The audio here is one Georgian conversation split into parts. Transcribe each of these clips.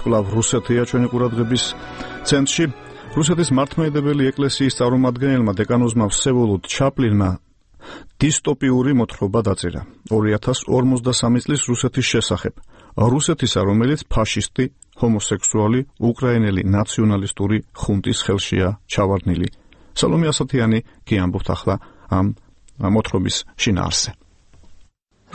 კვლავ რუსეთია ჩვენი ყურადღების ცენტრში. რუსეთის მართლმადიდებელი ეკლესიის წარმომადგენელმა დეკანოზმა ვსევოლოდ ჩაპლინმა დისტოპიური მოთხრობა დაწერა 2053 წლის რუსეთის შესახებ. რუსეთისა, რომელიც ფაშისტი, ჰომოსექსუალი, უკრაინელი ნაციონალისტური ხუნტის ხელშია ჩავარდნილი. სალომე ასათიანი კი ამბობთ ახლა ამ მოთხრობის შინაარსზე.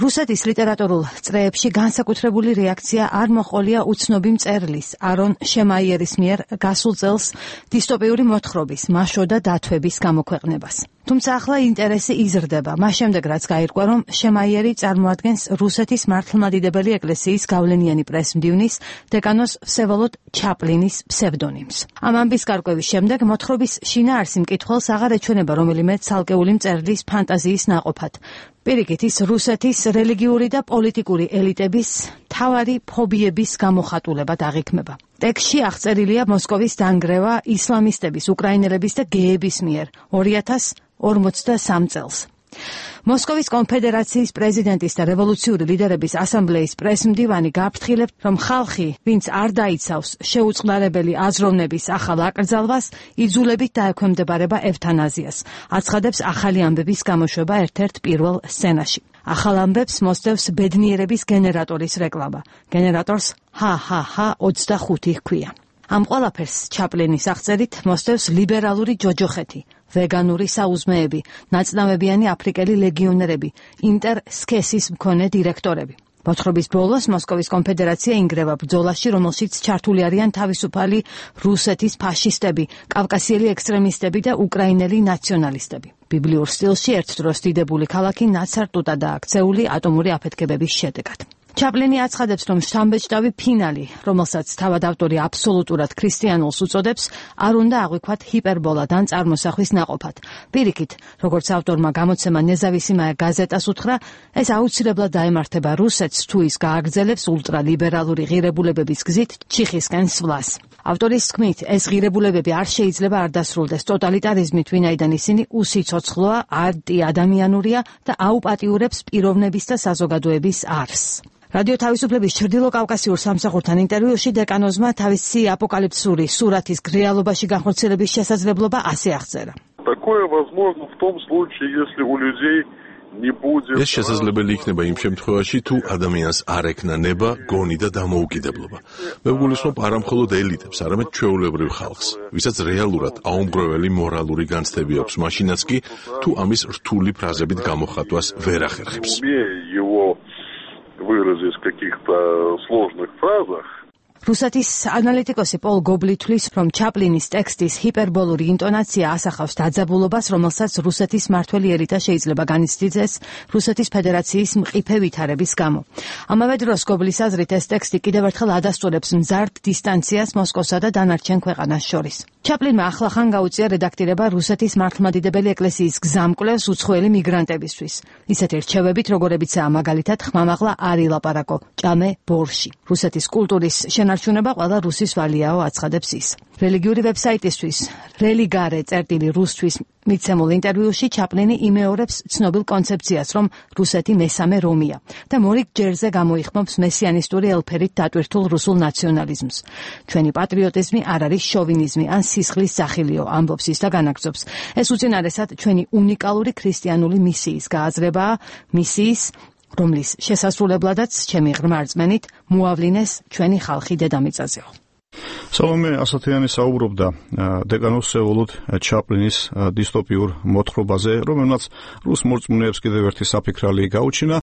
რუსეთის ლიტერატურულ წრეებში განსაკუთრებული რეაქცია არ მოჰყოლია უცნობი მწერლის არონ შემაიერის მიერ გასულ წელს დისტოპიური მოთხრობის მაშო და დათვების გამოქვეყნებას. თუმცა ახლა ინტერესი იზრდება, მას შემდეგ რაც გაირკვა, რომ შემაიერი წარმოადგენს რუსეთის მართლმადიდებელი ეკლესიის გავლენიანი პრესმდივნის დეკანოზ ვსევოლოდ ჩაპლინის ფსევდონიმს. ამ ამბის გარკვევის შემდეგ მოთხრობის შინაარსი მკითხველს აღარ ეჩვენება რომელიმე ცალკეული მწერლის ფანტაზიის ნაყოფად. პირიქით, ის რუსეთის რელიგიური და პოლიტიკური ელიტების მთავარი ფობიების გამოხატულებად აღიქმება. ტექსტში აღწერილია მოსკოვის დანგრევა ისლამისტების, უკრაინელების და გეების მიერ 2053 წელს. მოსკოვის კონფედერაციის პრეზიდენტის და რევოლუციური ლიდერების ასამბლეის პრესმდივანი გაფრთხილებთ, რომ ხალხი, ვინც არ დაიცავს შეუწყნარებელი აზროვნების ახალ აკრძალვას, იძულებით დაექვემდებარება ევთანაზიას. აცხადებს ახალი ამბების გამოშვება ერთ-ერთ პირველ სცენაში. ახალ ამბებს მოსდევს ბედნიერების გენერატორის რეკლამა. გენერატორს HHH25 ჰქვია. ამ ყველაფერს ჩაპლინის აღწერით მოსდევს ლიბერალური ჯოჯოხეთი, ვეგანური საუზმეები, ნაწნავებიანი აფრიკელი ლეგიონერები, ინტერსქესის მქონე დირექტორები. მოთხრობის ბოლოს მოსკოვის კონფედერაცია ინგრევა ბრძოლაში, რომელშიც ჩართული არიან თავისუფალი რუსეთის ფაშისტები, კავკასიელი ექსტრემისტები და უკრაინელი ნაციონალისტები. ბიბლიურ სტილში ერთ დროს დიდებული ქალაქი ნაცარტუდადაა აქცეული ატომური აფეთქებების შედეგად. ჩაპლინი აცხადებს, რომ შთამბეჭდავი ფინალი, რომელსაც თავად ავტორი აბსოლუტურად ქრისტიანულს უწოდებს, არ უნდა აღვიქვათ ჰიპერბოლად ან წარმოსახვის ნაყოფად. პირიქით, როგორც ავტორმა გამოცემა ნეზავისიმაია გაზეტას უთხრა, ეს აუცილებლად დაემართება რუსეთს, თუ ის გააგრძელებს ულტრალიბერალური ღირებულებების გზით ჩიხისკენ სვლას. ავტორის თქმით, ეს ღირებულებები არ შეიძლება არ დასრულდეს ტოტალიტარიზმით, ვინაიდან ისინი უსიცოცხლოა, ანტიადამიანურია და აუპატიურებს პიროვნების და საზოგადოების არსს. რადიო თავისუფლების ჩრდილო კავკასიურ სამსახურთან ინტერვიუში დეკანოზმა თავისი აპოკალიფსური სურათის რეალობაში განხორციელების შესაძლებლობა ასე აღწერა. ეს შესაძლებელი იქნება იმ შემთხვევაში, თუ ადამიანს არ ექნა ნება, გონი და დამოუკიდებლობა. მე ვგულისხმობ არა მხოლოდ ელიტებს, არამედ ჩვეულებრივ ხალხს, ვისაც რეალურად აუმგროველი მორალური განცდები აქვს, მაშინაც კი, თუ ამის რთული ფრაზებით გამოხატვას ვერ ახერხებს. выразить в каких-то сложных фразах. რუსეთის ანალიტიკოსი პოლ გობლი თვლის, რომ ჩაპლინის ტექსტის ჰიპერბოლური ინტონაცია ასახავს დაძაბულობას, რომელსაც რუსეთის მმართველი ელიტა შეიძლება განიცდიდეს რუსეთის ფედერაციის მყიფე ვითარების გამო. ამავე დროს გობლის აზრით ეს ტექსტი კიდევ ერთხელ ადასტურებს მზარდ დისტანციას მოსკოვსა და დანარჩენ ქვეყანას შორის. ჩაპლინმა ახლახან გაუწია რედაქტირება რუსეთის მართლმადიდებელი ეკლესიის გზამკვლევს უცხოელი მიგრანტებისთვის. ისეთი რჩევებით, როგორებიცაა მაგალითად ხმამაღლა არ ილაპარაკო, ჭამე ბორში. რუსეთის კულტურის შენარჩუნება ყველა რუსის ვალიაო, აცხადებს ის. რელიგიური ვებსაიტისთვის რელიგარე წერტილი რუსთვის მიცემულ ინტერვიუში ჩაპლინი იმეორებს ცნობილ კონცეფციას, რომ რუსეთი მესამე რომია და მორიგ ჯერზე გამოიხმობს მესიანისტური ელფერით დატვირთულ რუსულ ნაციონალიზმს. ჩვენი პატრიოტიზმი არ არის შოვინიზმი ან სისხლის სახილიო, ამბობს ის და განაგრძობს. ეს უწინარესად ჩვენი უნიკალური ქრისტიანული მისიის გააზრებაა, მისიის, რომლის შესასრულებლადაც ჩემი ღრმა რწმენით მოავლინეს ჩვენი ხალხი დედამიწაზეო. სალომე ასათიანი საუბრობდა დეკანოზ ვსევოლოდ ჩაპლინის დისტოპიურ მოთხრობაზე, რომელმაც რუს მორწმუნეებს კიდევ ერთი საფიქრალი გაუჩინა.